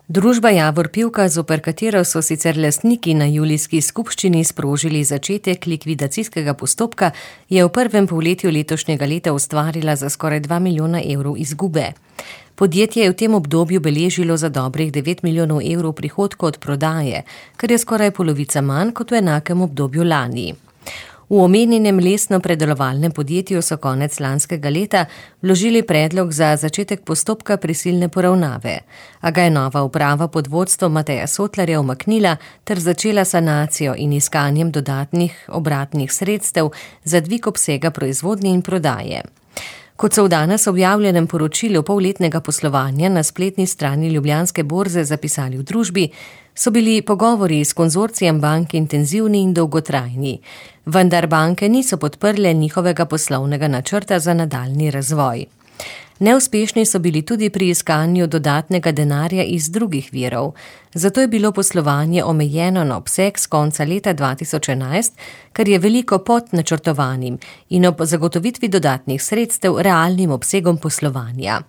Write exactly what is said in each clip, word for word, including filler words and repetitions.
Družba Javor Pivka, zoper katero so sicer lastniki na julijski skupščini sprožili začetek likvidacijskega postopka, je v prvem polletju letošnjega leta ustvarila za skoraj dva milijona evrov izgube. Podjetje je v tem obdobju beležilo za dobrih devet milijonov evrov prihodkov od prodaje, kar je skoraj polovica manj kot v enakem obdobju lani. V omenjenem lesno-predelovalnem podjetju so konec lanskega leta vložili predlog za začetek postopka prisilne poravnave, a ga je nova uprava pod vodstvom Mateja Sotlarja umaknila ter začela sanacijo in iskanjem dodatnih obratnih sredstev za dvig obsega proizvodnje in prodaje. Kot so v danes objavljenem poročilu polletnega poslovanja na spletni strani Ljubljanske borze zapisali v družbi, so bili pogovori s konzorcijem bank intenzivni in dolgotrajni, vendar banke niso podprle njihovega poslovnega načrta za nadaljnji razvoj. Neuspešni so bili tudi pri iskanju dodatnega denarja iz drugih virov, zato je bilo poslovanje omejeno na obseg s konca leta dva tisoč enajst, kar je veliko pod načrtovanim in ob zagotovitvi dodatnih sredstev realnim obsegom poslovanja.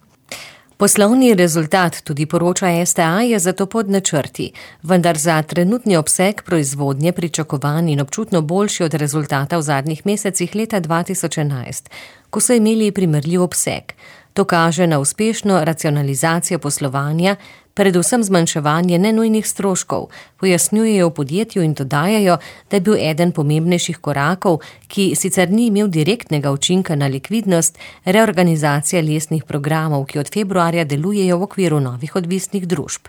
Poslovni rezultat, tudi poroča S T A, je zato pod načrti, vendar za trenutni obseg proizvodnje pričakovan in občutno boljši od rezultata v zadnjih mesecih leta dva tisoč enajst, ko so imeli primerljiv obseg. To kaže na uspešno racionalizacijo poslovanja, predvsem zmanjševanje nenujnih stroškov, pojasnjujejo v podjetju in dodajajo, da je bil eden pomembnejših korakov, ki sicer ni imel direktnega učinka na likvidnost, reorganizacija lesnih programov, ki od februarja delujejo v okviru novih odvisnih družb.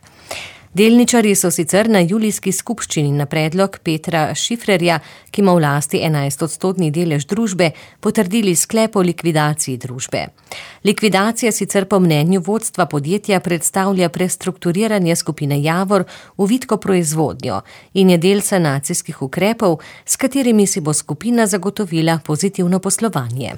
Delničarji so sicer na julijski skupščini na predlog Petra Šifrerja, ki ima v lasti enajstodstotni delež družbe, potrdili sklep o likvidaciji družbe. Likvidacija sicer po mnenju vodstva podjetja predstavlja prestrukturiranje skupine Javor v vitko proizvodnjo in je del sanacijskih ukrepov, s katerimi si bo skupina zagotovila pozitivno poslovanje.